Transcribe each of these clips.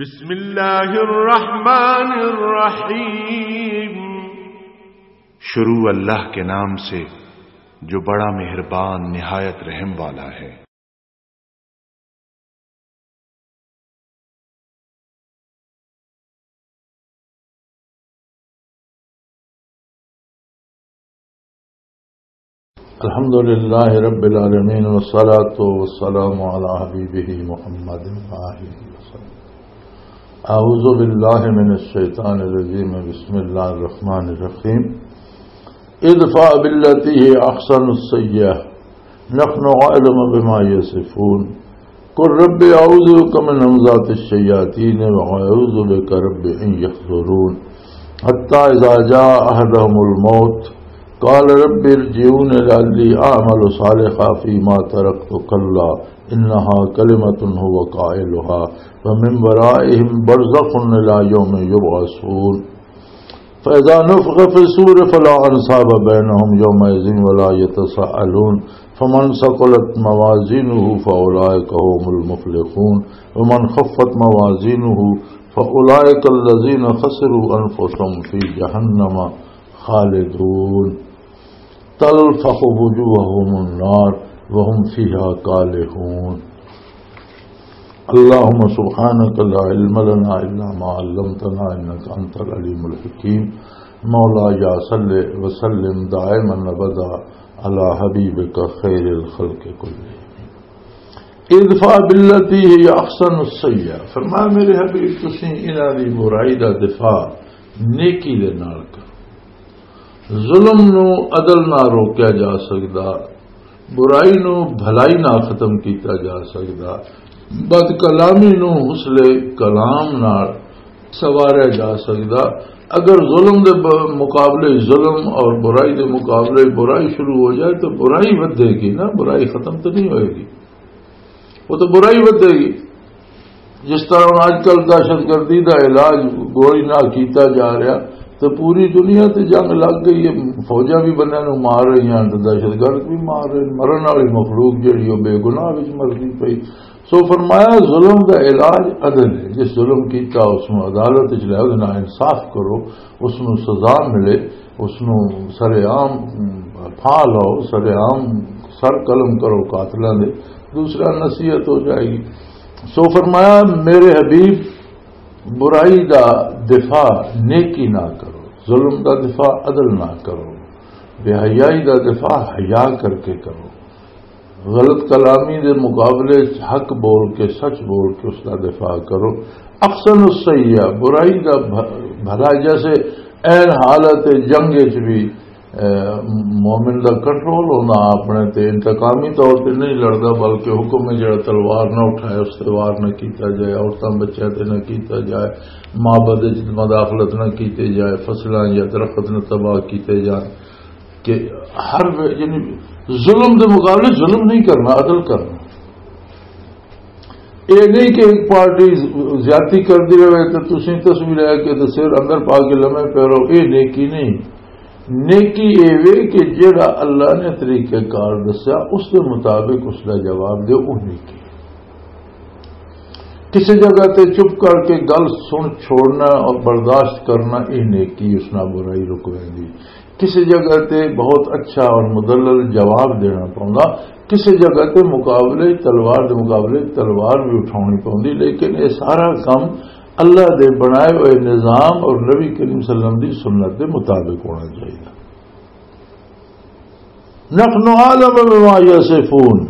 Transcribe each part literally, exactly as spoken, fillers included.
بسم اللہ الرحمن الرحیم۔ شروع اللہ کے نام سے جو بڑا مہربان نہایت رحم والا ہے۔ الحمد لله رب العالمين، والصلاة والسلام على حبيبه محمد وآله وسلم. أعوذ بالله من الشيطان الرجيم. بسم الله الرحمن الرحيم. ادفع بالتي هي أحسن السيئة، نحن أعلم بما يصفون. قل رب أعوذ بك من همزات الشياطين وأعوذ بك رب أن يحضرون. حتى إذا جاء أحدهم الموت قال رب ارجعون لعلي أعمل صالحا فيما تركت كلا إنها كلمة هو قائلها ومن ورائهم برزخ إلى يوم يبعثون. فإذا نفخ في الصور فلا أنساب بينهم يومئذ ولا يتساءلون. فمن ثقلت موازينه فأولئك هم المفلحون. ومن خفت موازينه فأولئك الذين خسروا أنفسهم في جهنم خالدون. تلفح وجوههم النار وهم فيها كالحون. اللهم سبحانك لا علم لنا إلا ما علمتنا إنك أنت العليم الحكيم. مولاي صل وسلم دائما أبدا على حبيبك خير الخلق كلهم. ادفع بالتي هي أحسن السيئة. فرمایا، میرے حبیب، تسی انہاں دی برائی دا دفاع نیکی دے نال کرو۔ ظلم نو عدل نہ روکیا جا سکدا، برائی نو بھلائی نہ ختم کیتا جا سکدا، بد کلامی نو حسن کلام نال سواریا جا سکدا۔ اگر ظلم دے ب-، مقابلے ظلم اور برائی دے مقابلے برائی شروع ہو جائے تو برائی ودھے گی نا، برائی ختم تو نہیں ہوئے گی، وہ تو برائی ودھے گی۔ جس طرح ہن اج کل دہشت گردی دا علاج گولی نال کیتا جا رہا، تے پوری دنیا تے جنگ لگ گئی ہے، فوجاں بھی بندیاں نوں مار رہی ہیں تے دہشت گرد بھی مار رہے ہیں، مرن والی مخلوق جڑی او بے گناہ وچ مردی پئی۔ سو فرمایا، ظلم دا علاج عدل ہے۔ جس ظلم کیتا، اس نوں عدالت وچ لے آؤ، نا انصاف کرو، اس نوں سزا ملے، اس نوں سر عام پھا لاؤ، سر عام سر قلم کرو قاتلاں دے، دوسرا نصیحت ہو جائے گی۔ سو فرمایا، میرے حبیب، برائی دا دفاع نیکی نہ کرو، ظلم دا دفاع عدل نہ کرو، بے حیائی دا دفاع حیا کر کے کرو، غلط کلامی دے مقابلے چ حق بول کے، سچ بول کے اس دا دفاع کرو۔ احسن السیئہ، برائی دا بھ-، بھلا، جیسے عین حالت جنگ وچ بھی اے، مومن دا کنٹرول ہونا اپنے تے، انتقامی طور تے نہیں لڑدا، بلکہ حکم ہے جڑا تلوار نہ اٹھائے، اس تے وار نہ کیتا جائے، عورتاں بچیاں تے نہ کیتا جائے، معبد وچ مداخلت نہ کیتے جائے، فصلاں یا درخت نہ تباہ کیتے جان۔ کہ ہر وے-، یعنی ظلم دے مقابلے ظلم نہیں کرنا، عدل کرنا۔ اے نہیں کہ ایک پارٹی زیادتی کردی رہے تے تسی تسبیح لے کے تے سر اندر پا کے لمے پے رہو، اے نیکی نہیں۔ نیکی اے وے کہ جیڑا اللہ نے طریقہ کار دسیا، اس دے مطابق اس دا جواب دیو، وہ نیکی۔ کسی جگہ تے چپ کر کے گل سن چھوڑنا اور برداشت کرنا، اے نیکی، اس نال برائی رک ویندی۔ کسی جگہ تے بہت اچھا اور مدلل جواب دینا پوندا، کسی جگہ تے مقابلے تلوار دے مقابلے تلوار بھی اٹھاونی پوندی، لیکن یہ سارا کم اللہ دے بنائے ہوئے نظام اور نبی کریم صلی اللہ علیہ وسلم دی سنت دے مطابق ہونا چاہیے۔ نحن اعلم بما یصفون۔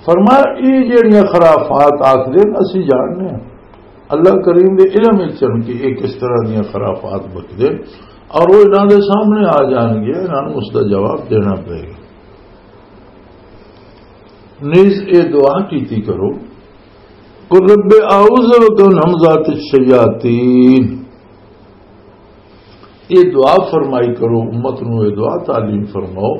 فرمایا، یہ جڑیاں خرافات آکھدے نے، اسی جاننے ہیں۔ اللہ کریم دے علم وچ ہن کہ یہ کس طرح دیاں خرافات بکدے، اور وہ انہاں دے سامنے آ جان گے، انہاں نوں اس دا جواب دینا پے گا۔ نیز اے دعا کیتی کرو، قل رب اعوذ بک من همزات الشیاطین۔ یہ دعا فرمائی کرو، امت نو یہ دعا تعلیم فرماؤ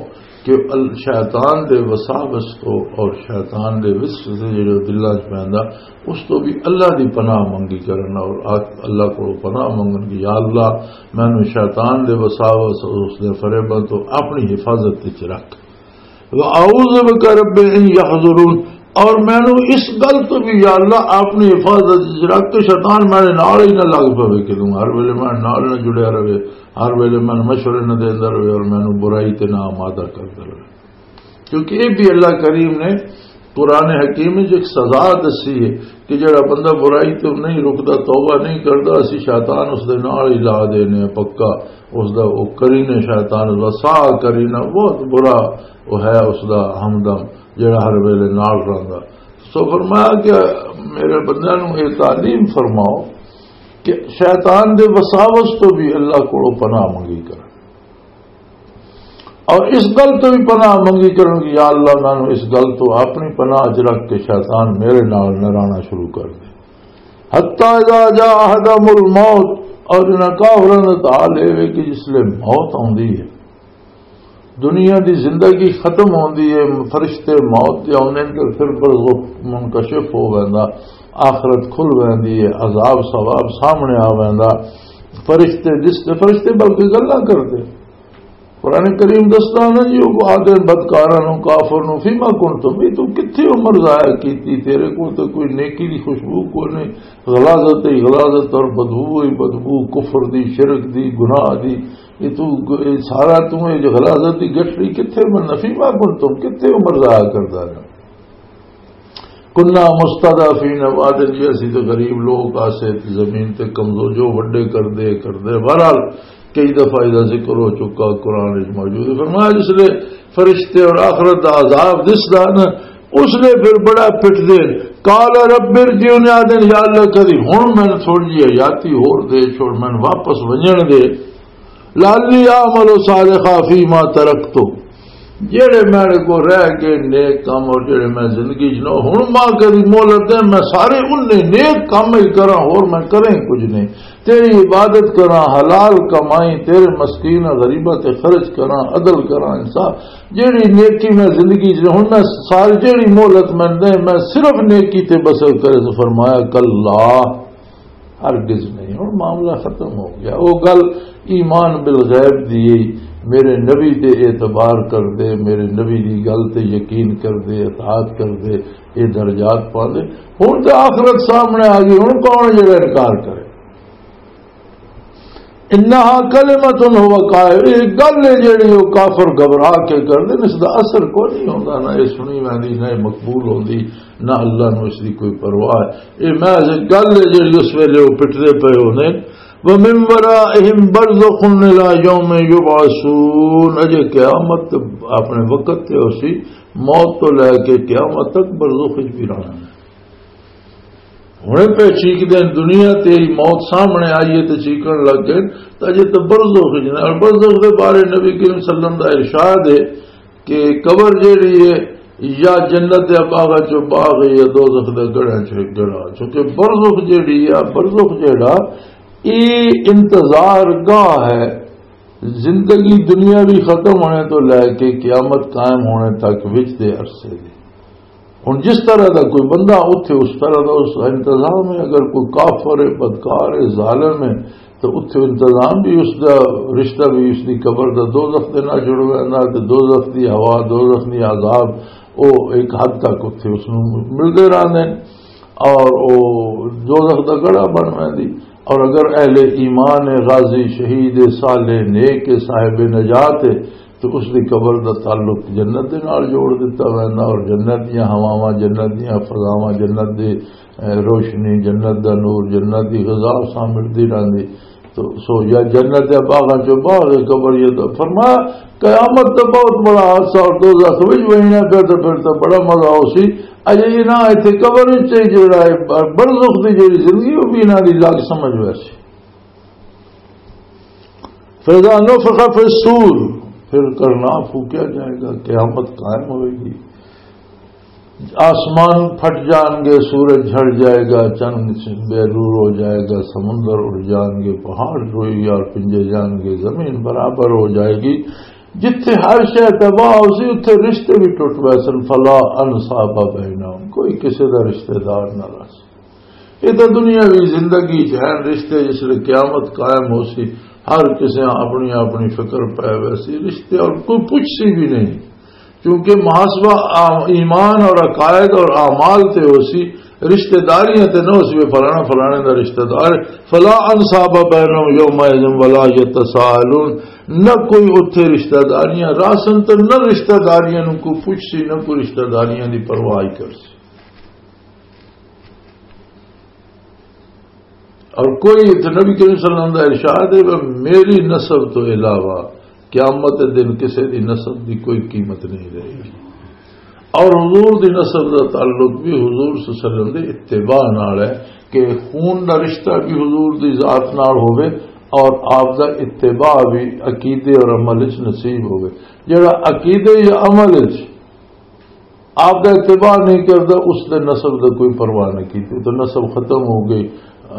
کہ ال-، شیطان دے وساوس تو اور شیطان دے وسوسے جڑے دلاں چ پیندا، اس تو بھی اللہ دی پناہ منگی کرنا اور آ-، اللہ کو پناہ منگن کی، یا اللہ، مینوں شیطان دے وساوس اور اس دے فریباں تو اپنی حفاظت وچ رکھ۔ وَأَعُوذُ بِكَ رَبِّ أَن يَحْضُرُونِ۔ اور مینوں اس گل تو بھی، یا اللہ، اپنی حفاظت وچ رکھ کے شیطان میرے نال ہی نہ لگ پوے، کہ توں ہر ویلے میرے نال نہ جڑیا رہے، ہر ویلے مینوں مشورے نہ دیندا رہے اور مینوں برائی تے نہ آمادہ کردا رہے۔ کیونکہ یہ بھی اللہ کریم نے قرآن حکیم وچ ایک سزا دسی ہے کہ جڑا بندہ برائی تو نہیں رکدا، توبہ نہیں کردا، اسی شیطان اس دے نال ہی لا دینے ہیں پکا۔ اس دا وہ کرینے، شیطان دا سا کرینا بہت برا وہ ہے، اس دا ہمدم جڑا ہر ویلے نال رہندا۔ سو فرمایا کہ میرے بندیاں نوں یہ تعلیم فرماؤ کہ شیطان دے وساوس تو بھی اللہ کولوں پناہ منگی کر، اور اس گل تو بھی پناہ منگی کرن کہ یا اللہ، مینوں اس گل تو اپنی پناہ چ رکھ کے شیطان میرے نال نہ رہنا شروع کر دے۔ حتی اذا جاء احدهم الموت، اور جنہاں کافراں دا حال اے وے کہ جس لے موت آندی ہے، دنیا دی زندگی ختم ہوندی ہے، فرشتے موت دے آندے نے تے پھر برزخ منکشف ہو ویندا، آخرت کھل ویندی ہے، عذاب ثواب سامنے آ ویندا، فرشتے دستے، فرشتے بلکہ گلاں کردے۔ قرآن کریم دسدا نا جی، وہ آدھے بدکاراں نوں، کافر نوں، "فیما کنتم"، بھی تو کتھے عمر ضائع کیتی؟ تیرے کول تے کوئی نیکی دی خوشبو کوئی نہیں، غلاظت ہی غلاظت اور بدبو ہی بدبو، کفر دی، شرک دی، گناہ دی۔ یہ تو، یہ سارا تو یہ جو غلاظت دی گٹری کتھے من، "فیما کنتم"، کتھے عمر ضائع کردا رہا؟ کنا مستضعفین، وعدے جی اسی تے غریب لوگ آسے تے زمین تے کمزور، جو وڈے کردے کردے۔ بہرحال کئی دفعہ ایدا ذکر ہو چکا، قرآن وچ موجود ہے۔ فرمایا جس لے فرشتے اور آخرت دا عذاب دسدا نا، اس لے پھر بڑا پٹ دے۔ قال رب ارجعون، آدن یا اللہ کدی ہن میں تھوڑی جی حیاتی ہور دے چھوڑ، میں واپس ونجن دے۔ لعلی اعمل صالحا فیما ترکت، جڑے میرے کو رہ گئے نیک کام اور جڑے میں زندگی چ نہ، ہن ماں کری مہلت دے، میں سارے انہیں نیک کام ہی کراں، اور میں کریں کچھ نہیں۔ تیری عبادت کراں، حلال کمائیں، تیرے مسکین غریباں تے خرچ کراں، عدل کراں، انصاف، جڑی نیکی میں زندگی چ، ہن میں ساری جڑی مہلت میں دے، میں صرف نیکی تے بسر کرے۔ تو فرمایا، کلا، ہرگز نہیں۔ ہن معاملہ ختم ہو گیا۔ وہ گل ایمان بالغیب دی، میرے نبی تے اعتبار کر دے، میرے نبی دی گل تے یقین کر دے، اطاعت کر دے، یہ درجات پا دے۔ ہن تے آخرت سامنے آ گئی، ہن کون جڑا انکار کرے؟ انہا کلمۃ ہو قائل، یہ گل ہے جڑی وہ کافر گھبرا کے کر دے، اس دا اثر کوئی نہیں ہوندا، نہ یہ سنی ویندی، نہ یہ مقبول ہوندی، نہ اللہ نو اس دی کوئی پرواہ ہے۔ یہ محض ایک گل ہے جڑی اس ویلے وہ پٹدے پئے ہوندے۔ وَمِن وَرَائِهِمْ بَرْزَخٌ إِلَىٰ يَوْمِ يُبْعَثُونَ، اجے قیامت اپنے وقت تے ہو سی، موت تو لے کے قیامت تک برزخ وچ بھی رہنا ہے۔ ہنے پہ چیک دے، دنیا تے ہی موت سامنے آئی ہے تے چیکن لگ گئے، تے اجے تے برزخ وچ نے۔ اور برزخ دے بارے نبی کریم صلی اللہ علیہ وسلم دا ارشاد ہے کہ قبر جیڑی ہے، یا جنت دے باغاں چوں باغ ہے، یا دوزخ دے گڑھاں چوں ایک گڑھا۔ چونکہ برزخ جیڑی ہے، برزخ جیڑا، یہ انتظار گاہ ہے۔ زندگی دنیا بھی ختم ہونے تو لے کے قیامت قائم ہونے تک وچ دے عرصے دی۔ ہن جس طرح دا کوئی بندہ اتھے، اس طرح دا اس دا انتظام ہے۔ اگر کوئی کافر ہے، بدکار ہے، ظالم ہے، تو اتھے انتظام بھی اس دا، رشتہ بھی اس دی قبر دا، دوزخ دے نال جڑ ویندا، تے دوزخ دی ہوا، دوزخ دی عذاب، او ایک حد تک اتھے اس نوں ملدے رہندے نے، اور او دوزخ دا گڑھا بن ویندی۔ اور اگر اہل ایمان ہے، غازی، شہید ہے، صالح، نیک ہے، صاحب نجات ہے، تو اس دی قبر دا تعلق جنت دے نال جوڑ دتا ویندا، اور جنت دیاں ہواواں، جنت دیاں فضاواں، جنت دی، اے، روشنی، جنت دا نور، جنت دی غذا اس نال ملدی رہندی۔ تو سو یا جنت دے باغاں چوں باغ قبر، یہ تو فرمایا، قیامت تو بہت بڑا حادثہ، اور دوزخ وچ وینا پھر تو، پھر تو بڑا مزہ ہو سی۔ اجے یہ نہ ایتھے قبر وچ ہی جڑا ہے، برزخ دی جڑی زندگی، وہ بھی انہاں دی الگ سمجھ ویسی۔ فَإِذَا نُفِخَ فِي الصُّورِ، پھر کرنا پھونکیا جائے گا، قیامت قائم ہوئے گی۔ آسمان پھٹ جان گے، سورج جھڑ جائے گا، چند بے نور ہو جائے گا، سمندر اٹھ جان گے، پہاڑ روئی اور پنجے جان گے، زمین برابر ہو جائے گی۔ جتھے ہر شے تباہ ہو سی، اتھے رشتے بھی ٹوٹ پے سن۔ فَلَا أَنْسَابَ بَيْنَهُمْ، کوئی کسے دا رشتہ دار نہ رہ سی۔ یہ تو دنیاوی زندگی چ ہیں رشتے، جس لے قیامت قائم ہو سی، ہر کسے اپنی اپنی فکر پے ویسی، رشتے اور کوئی پوچھ سی بھی نہیں۔ کیونکہ محاسبہ آ-، ایمان اور عقائد اور اعمال تے ہو سی، رشتہ داریاں تے نہ ہو سی، فلانا فلانے دا رشتہ دار۔ فلا انصاب بینہم یومئذ ولا یتساءلون، نہ کوئی اتھے رشتہ داریاں راسن تے نہ رشتہ داریاں نوں کوئی پوچھ سی، نہ کوئی رشتہ داریاں دی پرواہ ہی کر سی۔ اور کوئی اتھے نبی کریم صلی اللہ علیہ وسلم دا ارشاد ہے کہ میری نسب تو علاوہ قیامت دے دن کسے دی نسب دی کوئی قیمت نہیں رہے گی۔ اور حضور دی نسب دا تعلق بھی حضور صلی اللہ علیہ وسلم دے اتباع نال ہے کہ خون دا رشتہ بھی حضور دی ذات نال ہوے اور آپ دا اتباع بھی عقیدے اور عمل وچ نصیب ہوے۔ جڑا عقیدے یا عمل وچ آپ دا اتباع نہیں کردا، اس دے نسب دا کوئی پرواہ نہیں کیتی، تو نسب ختم ہو گئی۔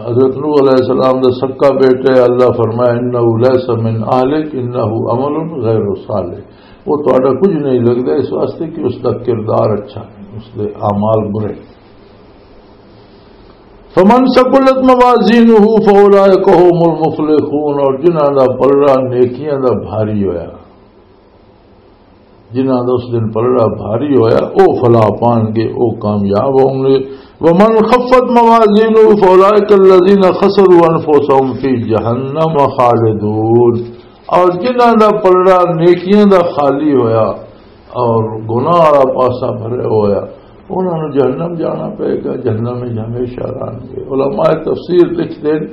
حضرت نوح علیہ السلام دا سکا بیٹا ہے، اللہ فرمایا، "انہ لیس من اہلک، انہ عمل غیر صالح۔" وہ تہاڈا کچھ نہیں لگدا، اس واسطے کہ اس دا کردار اچھا نہیں، اس دے اعمال برے۔ فمن ثقلت موازینہ فاولئک هم المفلحون، اور جنہاں دا پلڑا نیکیاں دا بھاری ہویا، جنہاں دا اس دن پلڑا بھاری ہویا، او فلاح پان گے، او کامیاب ہون گے۔ ومن خفت موازینہ فاولئک الذین خسروا انفسهم فی جہنم خالدون، اور جنہاں دا پلڑا نیکیاں دا خالی ہویا اور گناہ والا پاسا بھریا ہویا، انہاں نوں جہنم جانا پئے گا، جہنم وچ ہمیشہ رہن گے۔ علماء تفسیر لکھدے نے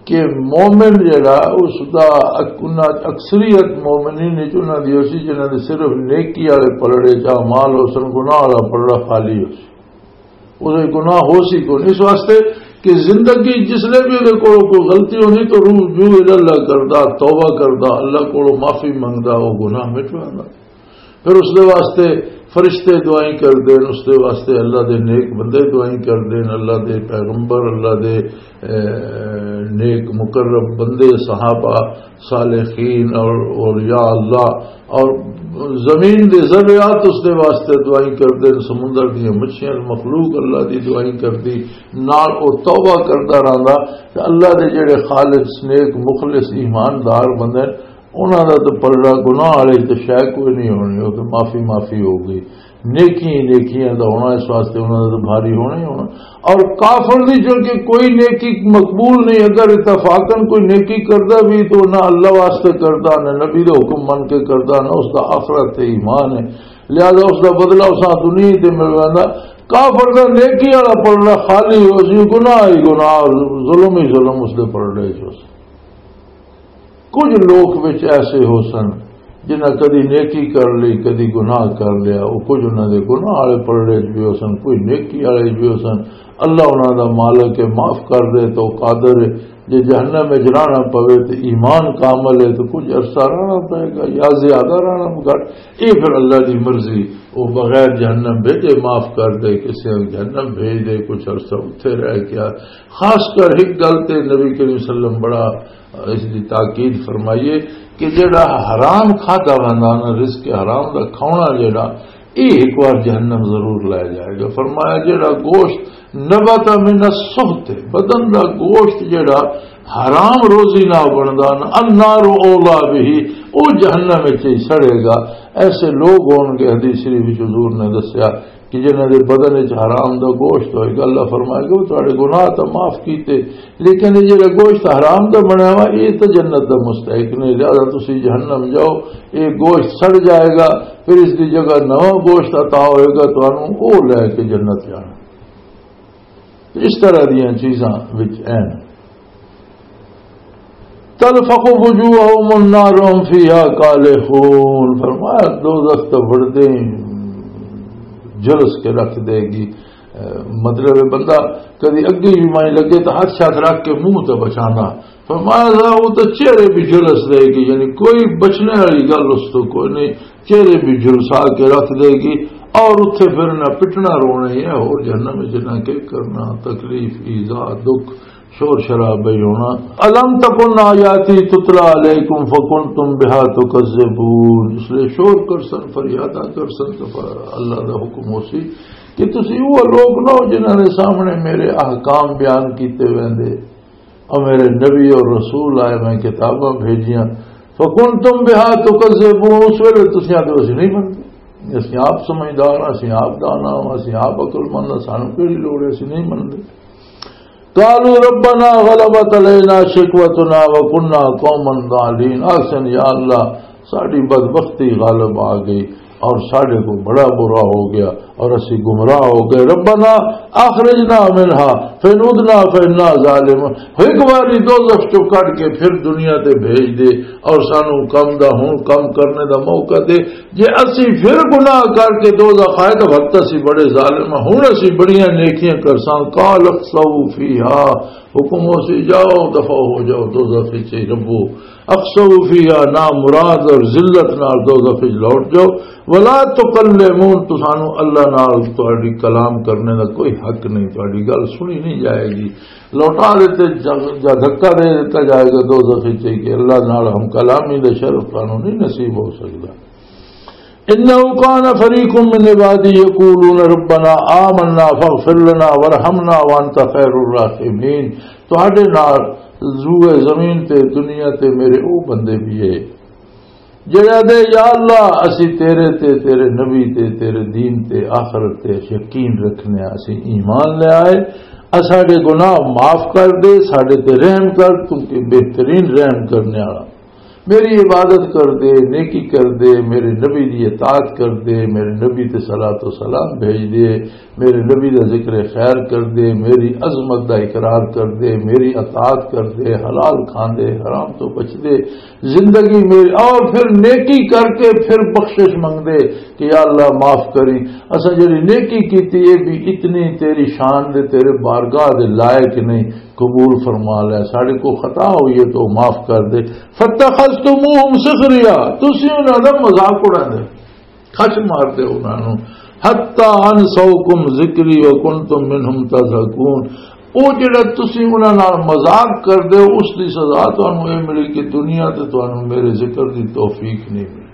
کہ مومن جڑا، اس دا اک-، انہاں اکثریت مومنین وچ انہاں دی ہوسی جنہاں دے صرف نیکی والے پلڑے چ اعمال ہوسن، گناہ والا پلڑا خالی ہوسی۔ اس وچ گناہ ہوسی کون؟ اس واسطے کہ زندگی جس لے بھی اودے کولوں کوئی غلطی ہونی تو رجوع الی اللہ کردا، توبہ کردا، اللہ کولوں معافی منگدا، وہ گناہ مٹ ویندا۔ پھر اس دے واسطے فرشتے دعائیں کردے نے، اس دے واسطے اللہ دے نیک بندے دعائیں کردے نے، اللہ دے پیغمبر، اللہ دے، اے، نیک مقرب بندے، صحابہ، صالحین اور اولیاء اللہ، اور زمین دے ذریات اس دے واسطے دعائیں کردے نے، سمندر دیاں مچھیاں، مخلوق اللہ دی دعائیں کردی، نال او توبہ کردا رہندا۔ تے اللہ دے جڑے خالص، نیک، مخلص، ایماندار بندے نے، انہاں دا تے پلڑا گناہ والے تے شے کوئی نہیں ہونی، او تے معافی معافی ہو گئی۔ نیکی ہی نیکیاں دا ہونا، اس واسطے انہاں دا تے بھاری ہونا ہی ہونا۔ اور کافر دی چونکہ کوئی نیکی مقبول نہیں، اگر اتفاقاً کوئی نیکی کردا بھی تو نہ اللہ واسطے کردا، نہ نبی دا حکم من کے کردا، نہ اس دا آخرت تے ایمان ہے، لہذا اس دا بدلہ اساں دنیا تے مل ویندا۔ کافر دا نیکی والا پلڑا خالی ہو سی، گناہ ہی گناہ، ظلم ہی ظلم اس دے پلڑے چ ہو سی۔ کچھ لوک وچ ایسے ہو سن جنہاں کدی نیکی کر لئی، کدی گناہ کر لیا۔ وہ کچھ انہاں دے گناہ والے پلڑے چ بھی ہو سن، کوئی نیکی والے چ بھی ہو سن۔ اللہ انہاں دا مالک ہے، معاف کر دے تو قادر ہے۔ جے جہنم وچ رہنا پوے تے ایمان کامل ہے تو کچھ عرصہ رہنا پائے گا یا زیادہ رہنا گھٹ، یہ پھر اللہ دی مرضی۔ وہ بغیر جہنم بھیجے معاف کر دے، کسی جہنم بھیج دے، کچھ عرصہ اتھے رہ گیا۔ خاص کر ایک گل تے نبی کریم صلی اللہ علیہ وسلم بڑا اس دی تاکید فرمائیے کہ جڑا حرام کھادا ویندا نا، رزق حرام دا کھاونا جڑا، یہ ایک بار جہنم ضرور لے جائے گا۔ فرمایا جڑا گوشت نبت من السحت، بدن دا گوشت جڑا حرام روزی نہ بندا نا، النار اولا به، او جہنم وچ ہی سڑے گا۔ ایسے لوگ ہون گے، حدیث شریف وچ حضور نے دسیا، کہ جنہاں دے بدن وچ حرام دا گوشت ہوئے گا، اللہ فرمائے گا، "وہ تہاڈے گناہ تاں معاف کیتے، لیکن یہ جڑا گوشت حرام دا بنیا ہوا، یہ تاں جنت دا مستحق نہیں، لہذا تسی جہنم جاؤ، یہ گوشت سڑ جائے گا، پھر اس دی جگہ نواں گوشت عطا ہوئے گا تانوں، وہ لے کے جنت جانا۔" اس طرح دیاں چیزاں وچ این۔ تلفق وجوہہم النار وہم فیہا کالحون۔ فرمایا، دوزخ تو بڑھتے ہی جلس کے رکھ دے گی۔ اے، مطلب ہے، بندہ کدی اگے بھی مائیں لگے تو ہر شخص رکھ کے منہ تے بچانا۔ فرمایا، وہ تو چہرے بھی جلس دے گی، یعنی کوئی بچنے والی گل اس تو کوئی نہیں۔ چہرے بھی جلسا کے رکھ دے گی، اور اتھے پھر نہ پٹنا رونا ہی ہے، اور جہنم وچ نہ کے کرنا، تکلیف، ایذا، دکھ، شور شرابہ ہی ہونا۔ الم تکن آیاتی تتلی علیکم فکنتم بها تکذبون۔ اس لیے شور کر سن، فریادہ کر سن، تو ف-، اللہ دا حکم ہو سی کہ تسی وہ لوگ نہ ہو جنہاں نے سامنے میرے احکام بیان کیتے ویندے۔ اور میرے نبی اور رسول آئے، میں کتاباں بھیجیاں، فکنتم بها تکذبون، اس ویلے تسی آدھے، "اسی نہیں منتے۔" اسیں آپ سمجھدار ہاں، اسیں آپ دانا ہاں، اسیں آپ عقل مند ہاں، سانوں کیڑی لوڑ ہے، اسیں نہیں مندے۔ قالوا ربنا غلبت علينا شقوتنا وكنا قوما ضالين۔ آخسن، یا اللہ، ساڈی بدبختی غالب آ گئی اور ساڈے کو بڑا برا ہو گیا اور اسی گمراہ ہو گئے۔ ربنا اخرجنا منها فإن عدنا فإنا ظالمون۔ ایک باری دوزخ چوں کڈ کے پھر دنیا تے بھیج دے اور سانو کم دا ہن کم کرنے دا موقع دے۔ جے اسی پھر گناہ کر کے دوزخ آئے تو وقت اسی بڑے ظالم ہاں، ہن اسی بڑیاں نیکیاں کرساں۔ قال اخسؤوا فيها، حکم ہو سی، جاؤ، دفع ہو جاؤ، دوزخ وچ ہی ربو۔ اخسؤوا فيها، نامراد اور ذلت نال دوزخ وچ لوٹ جاؤ۔ ولا تكلمون، تسانو اللہ نال تہاڈی کلام کرنے دا کوئی حق نہیں، تہاڈی گل سنی نہیں جائے گی۔ لوٹا دیتے جا، جا دھکا دے دیتا جائے گا دوزخ وچ کہ اللہ نال ہم کلامی دا شرف تانوں نہیں نصیب ہو سکدا۔ انه كان فريق من عبادي يقولون ربنا آمنا فاغفر لنا وارحمنا وانت خير الراحمين۔ تہاڈے نال روئے زمین تے دنیا تے میرے او بندے بھی ہے جڑے آدھے، یا اللہ، اسی تیرے تے، تیرے نبی تے، تیرے دین تے، آخرت تے یقین رکھنے ہاں، اسی ایمان لے آئے، اساڈے گناہ معاف کر دے، ساڈے تے رحم کر، تو کہ بہترین رحم کرنے والا۔ میری عبادت کر دے، نیکی کر دے، میرے نبی دی اطاعت کر دے، میرے نبی تے صلاۃ و سلام بھیج دے، میرے نبی دا ذکر خیر کر دے، میری عظمت دا اقرار کر دے، میری اطاعت کر دے، حلال کھان دے، حرام تو بچ دے، زندگی میری، اور پھر نیکی کر کے پھر بخشش منگ دے کہ یا اللہ معاف کری، اساں جڑی نیکی کیتی اے بھی اتنی تیری شان دے، تیرے بارگاہ دے لائق نہیں، قبول فرما لے، ساڈے کو خطا ہوئی ہے تو معاف کر دے۔ فاتخذتموهم سخريا، تسی انہاں دا مذاق اڑاندے، کھچ مار دے انہاں نوں۔ حتى أنسوكم ذكري وكنتم منهم تضحكون۔ او جڑا تسی انہاں نال مذاق کر دے ہو، اس دی سزا تانوں اے ملی کہ دنیا تے تانوں میرے ذکر دی توفیق نہیں ملی۔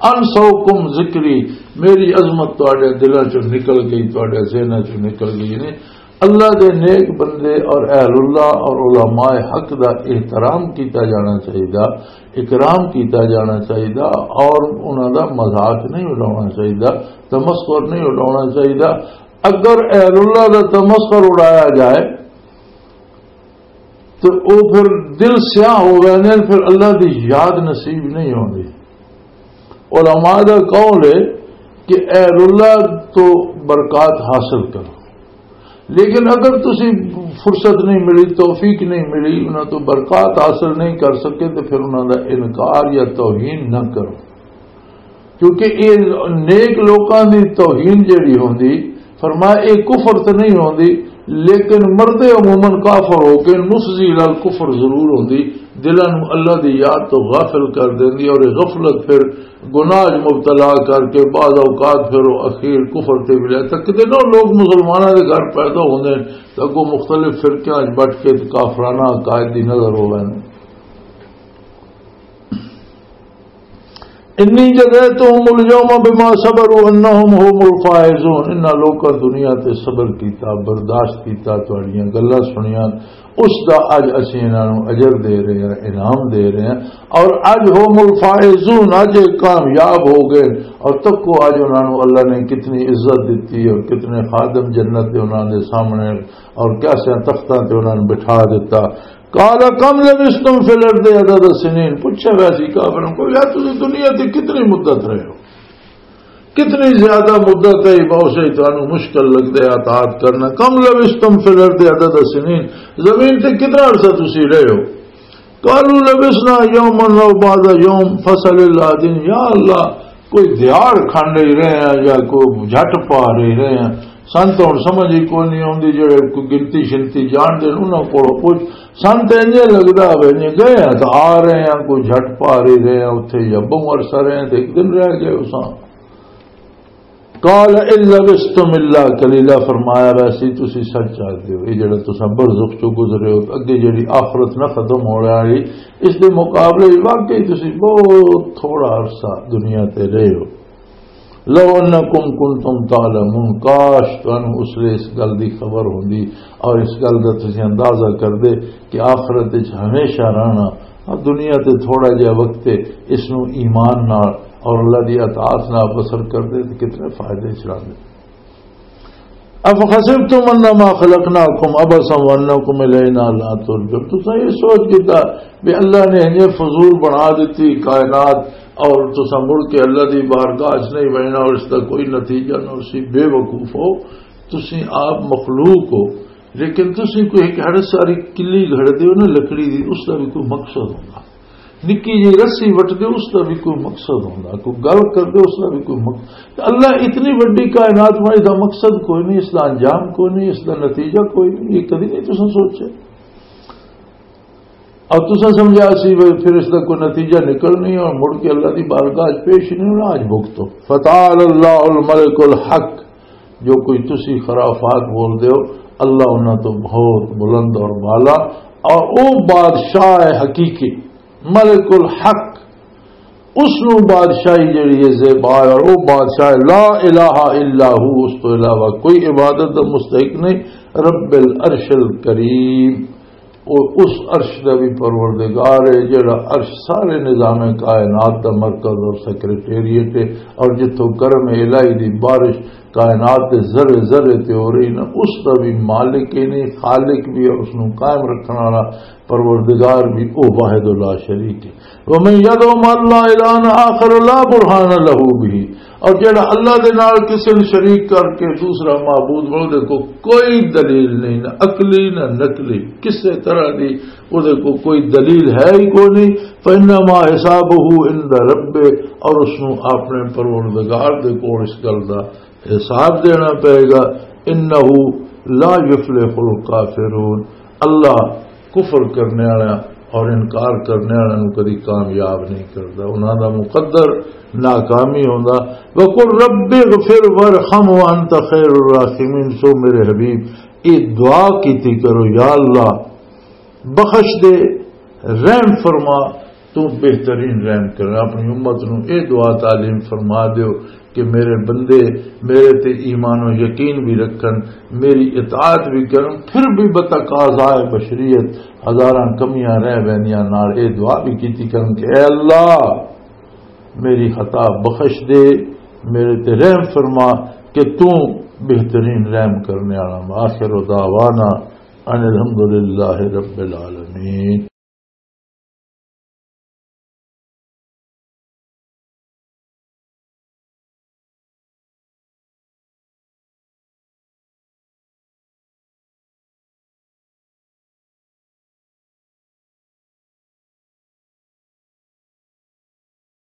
أنسوكم ذكري، میری عظمت تہاڈے دلاں چوں نکل گئی، تہاڈے ذہناں چوں نکل گئی نے۔ اللہ دے نیک بندے اور اہل اللہ اور علماء حق دا احترام کیتا جانا چاہیدا، اکرام کیتا جانا چاہیدا اور انہاں دا مذاق نہیں اڑانا چاہیدا، تمسخر نہیں اڑانا چاہیدا۔ اگر اہل اللہ دا تمسخر اڑایا جائے تو او پھر دل سیاہ ہو گئے نے، پھر اللہ دی یاد نصیب نہیں ہوندی۔ علماء دا قول ہے کہ اہل اللہ تو برکات حاصل کرو، لیکن اگر تسی فرصت نہیں ملی، توفیق نہیں ملی، انہاں تو برکات حاصل نہیں کر سکے تو پھر انہاں دا انکار یا توہین نہ کرو، کیونکہ یہ نیک لوکاں دی توہین جڑی ہوندی، فرمایا، یہ کفر تے نہیں ہوندی، لیکن مردے عموماً کافر ہو کے نفذی لال کفر ضرور ہوندی، دلاں نوں اللہ دی یاد تو غافل کر دیندی، اور یہ غفلت پھر گناہ وچ مبتلا کر کے بعض اوقات پھر وہ اخیر کفر تے بھی لے تک۔ کتے نہ لوگ مسلماناں دے گھر پیدا ہوندے نے تے اگوں مختلف فرقیاں وچ بٹ کے تے کافرانہ عقائد دی نظر ہو ویندے۔ انی جزیتہم الیوم بما صبروا انہم هم الفائزون۔ انہاں لوکاں دنیا تے صبر کیتا، برداشت کیتا، تہاڈیاں گلاں سنیاں، اس دا اج اسی انہاں نوں اجر دے رہے ہیں، انعام دے رہے ہیں۔ اور اج هم الفائزون، اج یہ کامیاب ہو گئے۔ اور تکو اج انہاں نوں اللہ نے کتنی عزت دتی اور کتنے خادم جنت دے انہاں دے سامنے اور کیسے تختاں تے انہاں نوں بٹھا دتا۔ قال كم لبثتم في الأرض عدد سنين، پوچھا ویسی کافروں کو، یار تسی دنیا تے کتنی مدت رہے ہو، کتنی زیادہ مدت ہے، بہت سے تانوں مشکل لگدے اطاعت کرنا۔ كم لبثتم في الأرض عدد سنين، زمین تے کتنا عرصہ تسی رہے ہو؟ قالوا لبثنا يوما أو بعض يوم فاسأل العادين۔ یا اللہ، کوئی دیہاڑ کھنڈ ہی رہے ہیں یا کوئی جھٹ پا رہی رہے ہیں، سن تو ہن سمجھ ہی کوئی نہیں آندی، جڑے کوئی گنتی شنتی جان دے انہاں کولوں پوچھ۔ سن تے انجے لگدا ہوے جے گئے ہیں تو آ رہے ہیں، کوئی جھٹ پا رہی رہے ہیں اتھے یا بہوں عرصہ رہے ہیں تے ایک دن رہ گئے اساں۔ قال ان لبثتم الا قليلا، فرمایا، ویسے تسی سچ آدھے ہو، یہ جڑا تساں برزخ چوں گزرے ہو، اگے جڑی آخرت نہ ختم ہو رہا ہے، اس دے مقابلے وچ واقعی تسی بہت تھوڑا عرصہ دنیا تے رہے ہو۔ لو انکم کنتم تعلمون، کاش تانوں اس لیے اس گل دی خبر ہوندی اور اس گل دا تسی اندازہ کردے کہ آخرت وچ ہمیشہ رہنا، اور دنیا تے تھوڑا جہا وقت ہے، اس نوں ایمان نال اور اللہ دی اطاعت نال بسر کردے تے کتنے فائدے چ رہندے۔ افحسبتم انما خلقناکم عبثا وانکم الینا لا ترجعون، تساں یہ سوچ کیتا بھی اللہ نے انہیں فضول بنا دیتی کائنات اور تساں مڑ کے اللہ دی بارگاہ چ نہیں بہنا اور اس دا کوئی نتیجہ نہ، اسی بے وقوف ہو۔ تسیں آپ مخلوق ہو، لیکن تسیں کوئی ایک ہڑ ساری کلی گھڑ دیو نا لکڑی دی، اس دا بھی کوئی مقصد ہوندا۔ نکی جی رسی وٹ دیو، اس دا بھی کوئی مقصد ہوندا، کوئی گل کر دیو، اس دا بھی کوئی مقصد۔ اللہ اتنی وڈی کائنات میں، اس دا مقصد کوئی نہیں، اس دا انجام کوئی نہیں، اس دا نتیجہ کوئی نہیں، یہ کدی نہیں تسیں سوچے۔ اور تساں سمجھا سی بھی پھر اس دا کوئی نتیجہ نکل نہیں اور مڑ کے اللہ دی بارگاہ وچ پیش نہیں ہونا، آج بھگتو۔ فتعال اللہ الملک الحق، جو کوئی تسی خرافات بول دے ہو، اللہ انہاں تو بہت بلند اور بالا، اور او بادشاہ حقیقی، ملک الحق، اس نو بادشاہی جڑی ہے زیبا ہے، اور او بادشاہ لا الہ الا ہو، اس تو علاوہ کوئی عبادت دا مستحق نہیں، رب العرش الکریم، او اس عرش دا بھی پروردگار ہے جڑا عرش سارے نظام کائنات دا مرکز اور سیکرٹریٹ ہے، اور جتھوں کرم الہی دی بارش کائنات دے ذرے ذرے تے ہو رہی نا، اس دا بھی مالک ہی نہیں، خالق بھی ہے، اس نوں قائم رکھن والا پروردگار بھی، او واحد لا شریک ہے۔ ومن يدع مع الله إلها آخر لا برهان له به، اور جڑا اللہ دے نال کسے نوں شریک کر کے دوسرا معبود بناؤ، دے کو کوئی دلیل نہیں، نہ عقلی نہ نقلی، کسے طرح دی او دے کو کوئی دلیل ہے ہی کوئی نہیں۔ فإنما حسابه عند ربه، اور اس نوں اپنے پروردگار دے کول اس گل دا حساب دینا پئے گا۔ انہ لا یفلح الکافرون، اللہ کفر کرنے والا اور انکار کرنے والا نوں کدی کامیاب نہیں کردا، انہاں دا مقدر ناکامی ہوندا۔ وقل رب اغفر وارحم وانت خیر الراحمین، سو میرے حبیب، یہ دعا کیتی کرو، یا اللہ، بخش دے، رحم فرما، تو بہترین رحم کرنا۔ اپنی امت نو اے دعا تعلیم فرما دیو کہ میرے بندے میرے تے ایمان و یقین بھی رکھن، میری اطاعت بھی کرن، پھر بھی بتقاضائے بشریت ہزاراں کمیاں رہ ویندیاں نال اے دعا بھی کیتی کرن کہ اے اللہ، میری خطا بخش دے، میرے تے رحم فرما کہ تو بہترین رحم کرنے والا۔ آخر دعوانا ان الحمدللہ رب العالمین۔